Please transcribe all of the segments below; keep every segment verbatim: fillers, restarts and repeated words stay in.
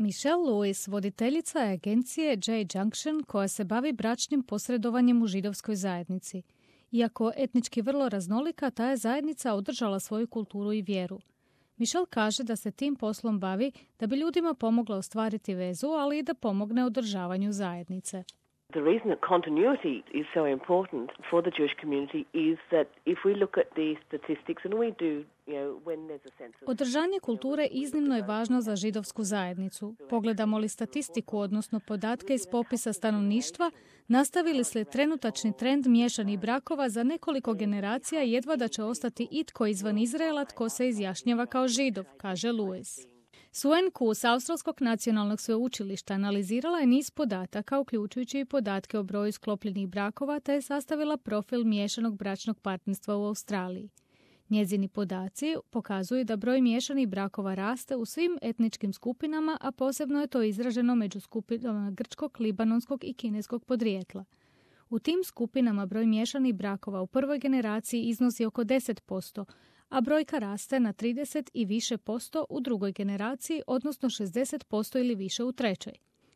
Michelle Lewis, voditeljica je agencije J Junction koja se bavi bračnim posredovanjem u židovskoj zajednici. Iako etnički vrlo raznolika, ta je zajednica održala svoju kulturu i vjeru. Michelle kaže da se tim poslom bavi da bi ljudima pomogla ostvariti vezu, ali i da pomogne održavanju zajednice. The reason that continuity is so important for the Jewish community is that if we look at the statistics, and we do, you know, when there's a sense of... Održanje kulture iznimno je važno za židovsku zajednicu. Pogledamo li statistiku, odnosno podatke iz popisa stanovništva, nastavili li trenutačni trend miješanih brakova za nekoliko generacija, jedva da će ostati itko izvan Izraela tko se izjašnjava kao židov, kaže Lewis. Suen Ku s Australskog nacionalnog sveučilišta analizirala je niz podataka, uključujući i podatke o broju sklopljenih brakova, te je sastavila profil miješanog bračnog partnerstva u Australiji. Njezini podaci pokazuju da broj miješanih brakova raste u svim etničkim skupinama, a posebno je to izraženo među skupinama grčkog, libanonskog i kineskog podrijetla. U tim skupinama broj miješanih brakova u prvoj generaciji iznosi oko deset posto, a brojka raste na trideset i više posto u drugoj generaciji, odnosno šezdeset posto ili više u trećoj.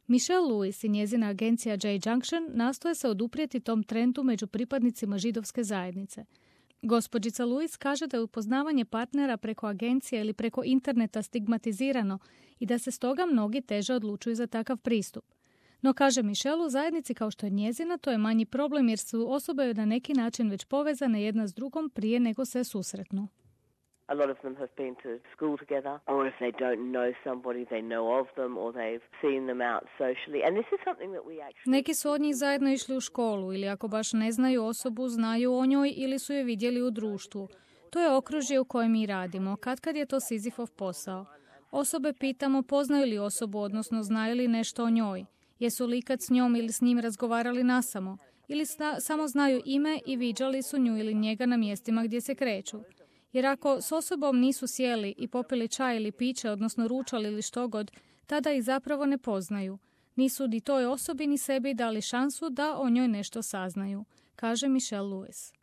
Michelle Lewis i njezina agencija J Junction nastoje se oduprijeti tom trendu među pripadnicima židovske zajednice. Gospođica Lewis kaže da je upoznavanje partnera preko agencije ili preko interneta stigmatizirano i da se stoga mnogi teže odlučuju za takav pristup. No, kaže Michelle, u zajednici kao što je njezina, to je manji problem jer su osobe na neki način već povezane jedna s drugom prije nego se susretnu. A lot of them have been to school together, or if they don't know somebody, they know of them, or they've seen them out socially. And this is something that we actually... Neki su od njih zajedno išli u školu, ili ako baš ne znaju osobu, znaju o njoj ili su je vidjeli u društvu. To je okružje u kojem mi radimo, katkad je to Sizifov posao. Osobe pitamo poznaju li osobu, odnosno znaju li nešto o njoj. Jesu li ikad s njom ili s njim razgovarali nasamo, ili sna, samo znaju ime i viđali su nju ili njega na mjestima gdje se kreću. Jer ako s osobom nisu sjeli i popili čaj ili piće, odnosno ručali ili što god, tada ih zapravo ne poznaju. Nisu ni toj osobi ni sebi dali šansu da o njoj nešto saznaju, kaže Michelle Lewis.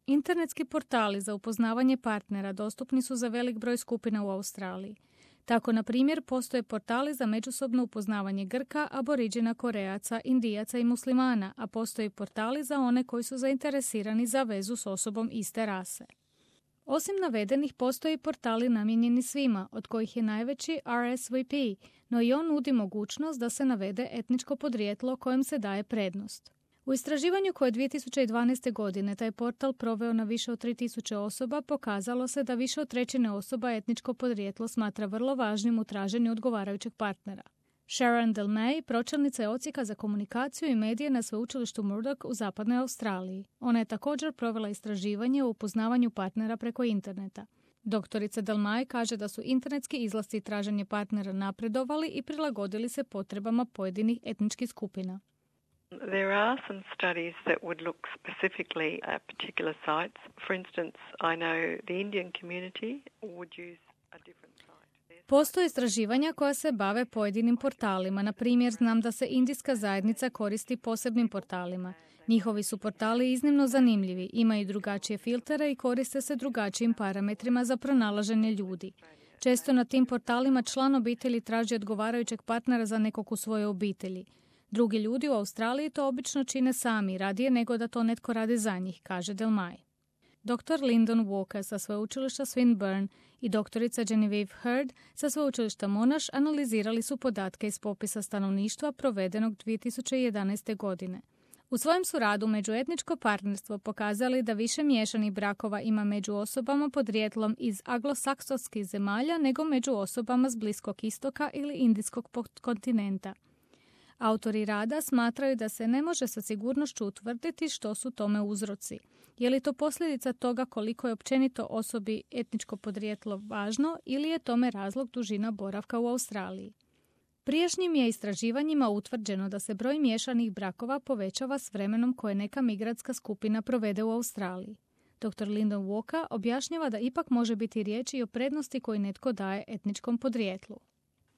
Internetski portali za upoznavanje partnera dostupni su za velik broj skupina u Australiji. Tako, na primjer, postoje portali za međusobno upoznavanje Grka, Aboriđina, Korejaca, Indijaca i Muslimana, a postoje portali za one koji su zainteresirani za vezu s osobom iste rase. Osim navedenih, postoje portali namijenjeni svima, od kojih je najveći R S V P, no i on nudi mogućnost da se navede etničko podrijetlo kojem se daje prednost. U istraživanju koje je dvije tisuće dvanaeste. godine taj portal proveo na više od tri tisuće osoba, pokazalo se da više od trećine osoba etničko podrijetlo smatra vrlo važnim u traženju odgovarajućeg partnera. Sharon Del May, pročelnica je odsjeka za komunikaciju i medije na sveučilištu Murdoch u zapadnoj Australiji. Ona je također provela istraživanje o upoznavanju partnera preko interneta. Doktorica Del May kaže da su internetski izlasci i traženje partnera napredovali i prilagodili se potrebama pojedinih etničkih skupina. There are some studies that would look specifically at particular sites. For instance, I know the Indian community would use a different site. Postoje istraživanja koja se bave pojedinim portalima. Na primjer, znam da se indijska zajednica koristi posebnim portalima. Njihovi su portali iznimno zanimljivi, imaju drugačije filtere i koriste se drugačijim parametrima za pronalaženje ljudi. Često na tim portalima član obitelji traži odgovarajućeg partnera za nekog u svojoj obitelji. Drugi ljudi u Australiji to obično čine sami, radije nego da to netko radi za njih, kaže Del May. doktor Lyndon Walker sa sveučilišta Swinburne i doktorica Genevieve Hurd sa sveučilišta Monash analizirali su podatke iz popisa stanovništva provedenog dvije tisuće jedanaeste. godine. U svojem su radu međuetničko partnerstvo pokazali da više miješanih brakova ima među osobama podrijetlom iz anglosaksonskih zemalja nego među osobama s Bliskog istoka ili Indijskog kontinenta. Autori rada smatraju da se ne može sa sigurnošću utvrditi što su tome uzroci. Je li to posljedica toga koliko je općenito osobi etničko podrijetlo važno ili je tome razlog dužina boravka u Australiji? Prijašnjim je istraživanjima utvrđeno da se broj miješanih brakova povećava s vremenom koje neka migrantska skupina provede u Australiji. doktor Lyndon Walker objašnjava da ipak može biti riječ i o prednosti koju netko daje etničkom podrijetlu.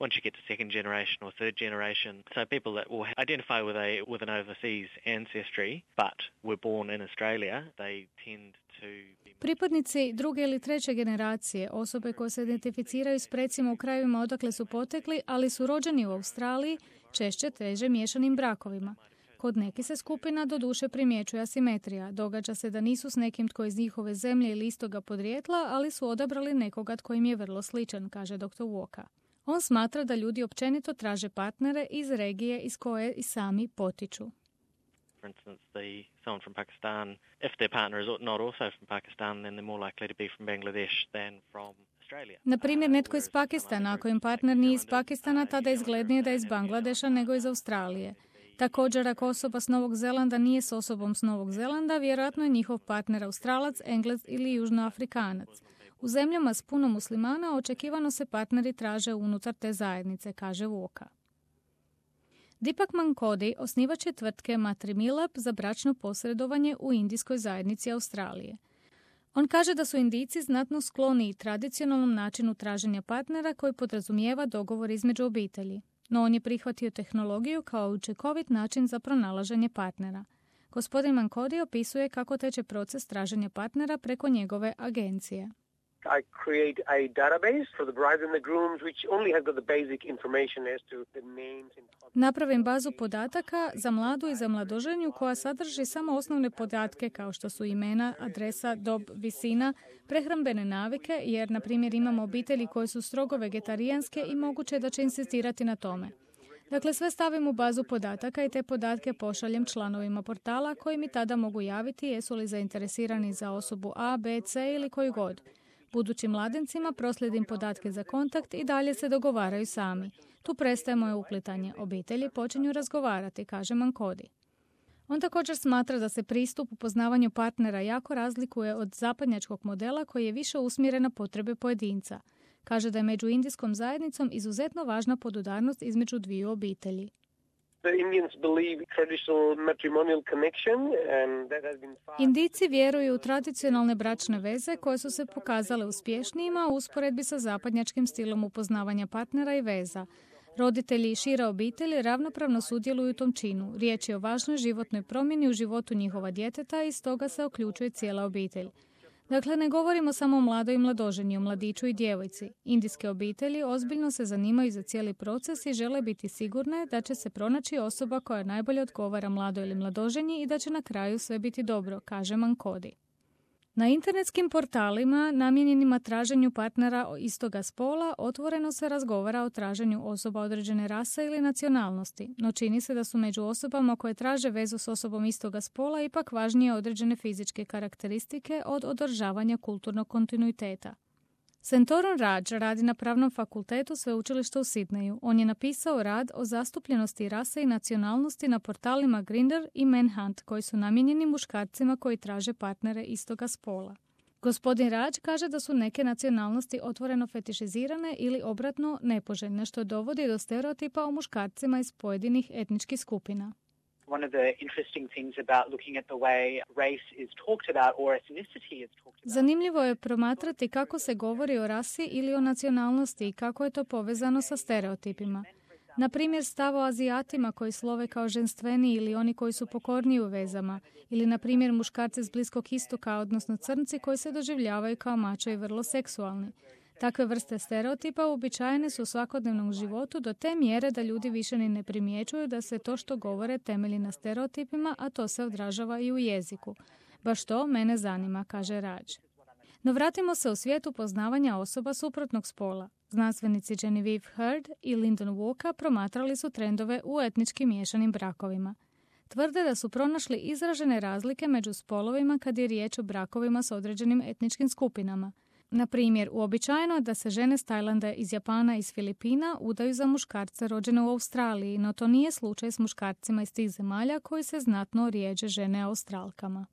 Once you get to second generation or third generation, so people that will identify with a with an overseas ancestry but were born in Australia, they tend to be... Pripadnici druge ili treće generacije, osobe koje se identificiraju s precima u krajevima odakle su potekli, ali su rođeni u Australiji, češće teže miješanim brakovima. Kod nekih se skupina doduše primjećuje asimetrija. Događa se da nisu s nekim tko je iz njihove zemlje ili istoga podrijetla, ali su odabrali nekoga tko im je vrlo sličan, kaže doktor Walker. On smatra da ljudi općenito traže partnere iz regije iz koje i sami potiču. For instance, the someone from Pakistan, if their partner is not also from Pakistan, then they're more likely to be from Bangladesh than from Australia. Na primjer, netko iz Pakistana, ako im partner nije iz Pakistana, tada je izglednije da je iz Bangladeša nego iz Australije. Također, ako osoba s Novog Zelanda nije s osobom s Novog Zelanda, vjerojatno je njihov partner Australac, Englez ili Južnoafrikanac. U zemljama s puno muslimana očekivano se partneri traže unutar te zajednice, kaže Walker. Deepak Mankodi osnivač je tvrtke Matrimilab za bračno posredovanje u indijskoj zajednici Australije. On kaže da su Indijci znatno skloni tradicionalnom načinu traženja partnera koji podrazumijeva dogovor između obitelji. No on je prihvatio tehnologiju kao učinkovit način za pronalaženje partnera. Gospodin Mankodi opisuje kako teče proces traženja partnera preko njegove agencije. I create a database for the brides and the grooms which only has got the basic information as to the names and... Napravim bazu podataka za mladu i za mladoženju koja sadrži samo osnovne podatke kao što su imena, adresa, dob, visina, prehrambene navike, jer na primjer imamo obitelji koje su strogo vegetarijanske i moguće je da će insistirati na tome. Dakle, sve stavim u bazu podataka i te podatke pošaljem članovima portala koji mi tada mogu javiti jesu li zainteresirani za osobu A, B, C ili koju god. Budućim mladencima proslijedim podatke za kontakt i dalje se dogovaraju sami. Tu prestaje moje uplitanje. Obitelji počinju razgovarati, kaže Mankodi. On također smatra da se pristup u poznavanju partnera jako razlikuje od zapadnjačkog modela koji je više usmjeren na potrebe pojedinca. Kaže da je među indijskom zajednicom izuzetno važna podudarnost između dviju obitelji. Indijci vjeruju u tradicionalne bračne veze koje su se pokazale uspješnijima u usporedbi sa zapadnjačkim stilom upoznavanja partnera i veza. Roditelji i šira obitelj ravnopravno sudjeluju u tom činu. Riječ je o važnoj životnoj promjeni u životu njihova djeteta i stoga se uključuje cijela obitelj. Dakle, ne govorimo samo o mladoj i mladoženji, o mladiću i djevojci. Indijske obitelji ozbiljno se zanimaju za cijeli proces i žele biti sigurne da će se pronaći osoba koja najbolje odgovara mladoj ili mladoženji i da će na kraju sve biti dobro, kaže Mankodi. Na internetskim portalima namijenjenima traženju partnera istoga spola otvoreno se razgovara o traženju osoba određene rase ili nacionalnosti, no čini se da su među osobama koje traže vezu s osobom istoga spola ipak važnije određene fizičke karakteristike od održavanja kulturnog kontinuiteta. Santorum Raj radi na Pravnom fakultetu sveučilišta u Sidneju. On je napisao rad o zastupljenosti rase i nacionalnosti na portalima Grindr i Manhunt, koji su namijenjeni muškarcima koji traže partnere istoga spola. Gospodin Raj kaže da su neke nacionalnosti otvoreno fetišizirane ili obratno nepoželjne, što dovodi do stereotipa o muškarcima iz pojedinih etničkih skupina. One of the interesting things about looking at the way race is talked about or ethnicity is talked about. Zanimljivo je promatrati kako se govori o rasi ili o nacionalnosti i kako je to povezano sa stereotipima. Na primjer, stav o Azijatima koji slove kao ženstveni ili oni koji su pokorniji u vezama, ili na primjer muškarci s Bliskog istoka, odnosno crnci koji se doživljavaju kao mačo i vrlo seksualni. Takve vrste stereotipa uobičajene su u svakodnevnom životu do te mjere da ljudi više ni ne primjećuju da se to što govore temelji na stereotipima, a to se odražava i u jeziku. Baš to mene zanima, kaže Raj. No vratimo se u svijetu poznavanja osoba suprotnog spola. Znanstvenici Genevieve Hurd i Lyndon Walker promatrali su trendove u etnički miješanim brakovima. Tvrde da su pronašli izražene razlike među spolovima kad je riječ o brakovima s određenim etničkim skupinama. Na primjer, uobičajeno je da se žene s Tajlanda, iz Japana i iz Filipina udaju za muškarce rođene u Australiji, no to nije slučaj s muškarcima iz tih zemalja koji se znatno rjeđe žene Australkama.